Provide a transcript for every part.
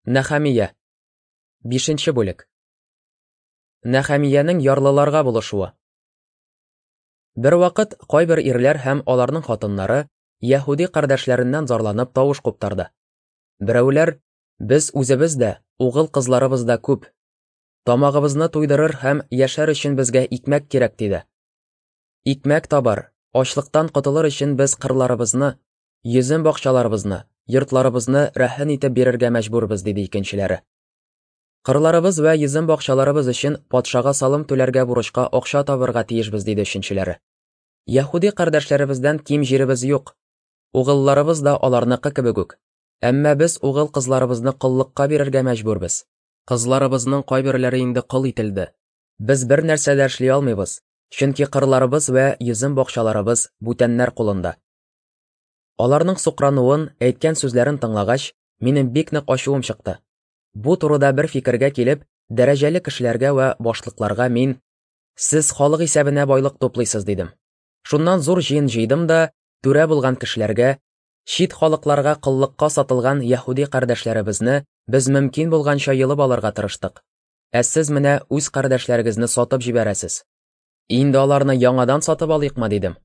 Нәхәмия. Бишенче бүлек. Нәхәмиянең ярлыларга булышуы. Бервакыт кайбер ирләр һәм аларның хатыннары яһүди кардәшләреннән зарланып тавыш куптарды. Берәүләр, без үзебез дә, угыл-кызларыбыз да күп. Тамагыбызны туйдырыр һәм яшәр өчен безгә икмәк кирәк, диде. Икмәк табар, ачлыктан котылыр өчен без кырларыбызны, Йөзем бакчаларыбызны, йортларыбызны рәһен итеп бирергә мәҗбүрбез, диде икенчеләре. Кырларыбыз вә йөзем бакчаларыбыз өчен патшага салым түләргә бурычка акча табырга тиешбез, диде өченчеләре. Яһүди кардәшләребездән ким җиребез юк. Угылларыбыз да аларныкы кебек үк. Әмма без угыл кызларыбызны коллыкка бирергә мәҗбүрбез. Кызларыбызның кайберләре инде кол ителде. Без бер нәрсә дә эшли алмыйбыз, чөнки кырларыбыз вә йөзем бакчаларыбыз бүтәннәр кулында. Аларның сукрануын, әйткән сүзләрен тыңлагач, минем бик нык ачуым чыкты. Бу турыда бер фикергә килеп, дәрәҗәле кешеләргә вә башлыкларга мин, Сез халык исәбенә байлык туплыйсыз, дидем. Шуннан зур җыен җыйдым да, түрә булган кешеләргә, чит халыкларга коллыкка сатылган яһүди кардәшләребезне без мөмкин булганча йолып алырга тырыштык. Ә сез менә үз кардәшләрегезне сатып җибәрәсез. Инде аларны яңадан сатып алыйкмы, дидем.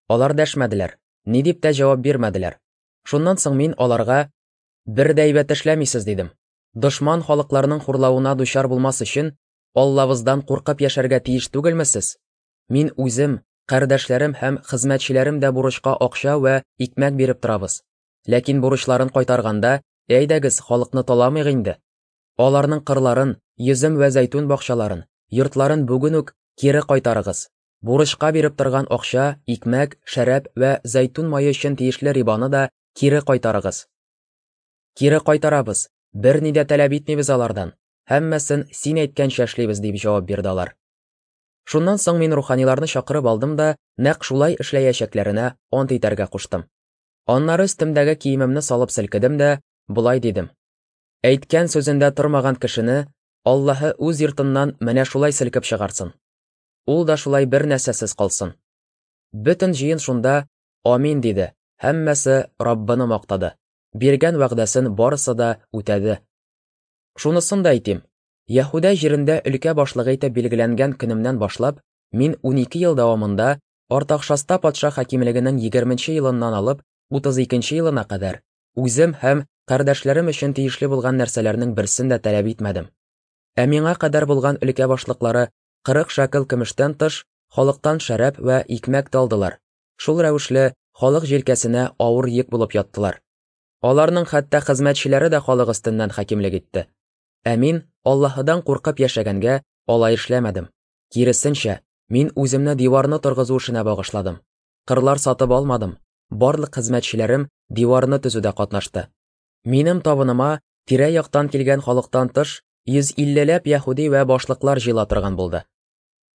Алар дәшмәделәр, ни дип тә җавап бирмәделәр. Шуннан соң мин аларга, Бер дә әйбәт эшләмисез, дидем. Дошман халыкларның хурлавына дучар булмас өчен, Аллабыздан куркып яшәргә тиеш түгелме сез? Мин үзем, кардәшләрем һәм хезмәтчеләрем дә бурычка акча вә икмәк биреп торабыз. Ләкин бурычларын кайтарганда, әйдәгез, халыкны таламыйк инде. Аларның кырларын, йөзем вә зәйтүн бакчаларын, йортларын бүген үк кире кайтарыгыз. Бурычка биреп торган акча, икмәк, шәраб вә зәйтүн мае өчен тиешле рибаны да кире кайтарыгыз. Кире кайтарабыз, берни дә таләп итмибез алардан, һәммәсен син әйткәнчә эшлибез, дип җавап бирде алар. Шуннан соң мин руханиларны чакырып алдым да, нәкъ шулай эшләячәкләренә ант итәргә куштым. Аннары өстемдәге киемемне салып селкедем дә, болай дидем. Әйткән сүзендә тормаган кешене Аллаһы үз йортыннан менә шулай селкеп чыгарсын. Ул да шулай бер нәрсәсез калсын. Бөтен җыен шунда Амин диде, һәммәсе Раббыны мактады. Биргән вәгъдәсен барысы да үтәде. Шунысын да әйтим, Яһүдә җирендә өлкә башлыгы итеп билгеләнгән көнемнән башлап, мин 12 ел дәвамында Артахшаста патша хакимлегенең 20 елыннан алып 32 елына кадәр үзем һәм кардәшләрем өчен тиешле булган нәрсәләрнең берсен дә таләп итмәдем. Ә миңа кадәр булган өлкә башлыклары 40 шәкел көмештән тыш, халыктан шәраб вә икмәк тә алдылар. Шул рәвешле, халык җилкәсенә авыр йөк булып яттылар. Аларның хәтта хезмәтчеләре дә халык өстеннән хакимлек итте. Ә мин, Аллаһыдан куркып яшәгәнгә, алай эшләмәдем. Киресенчә, мин үземне диварны торгызу эшенә багышладым. Кырлар сатып алмадым, барлык хезмәтчеләрем диварны төзүдә катнашты. Минем табыныма тирә-яктан килгән халыктан тыш, 150 ләп яһүди вә башлыклар җыела торган булды.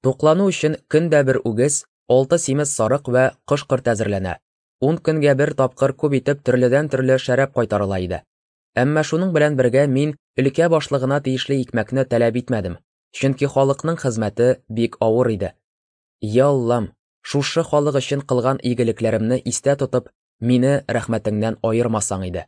Туклану өчен көн дә бер үгез, алты симез сарык вә кош-корт әзерләнә. Ун көнгә бер тапкыр күп итеп төрледән-төрле шәраб кайтарыла иде. Әмма шуның белән бергә мин өлкә башлыгына тиешле икмәкне таләп итмәдем, чөнки халыкның хезмәте бик авыр иде. Я Аллам, шушы халык өчен кылган игелекләремне истә тотып, мине рәхмәтеңнән аермасаң иде.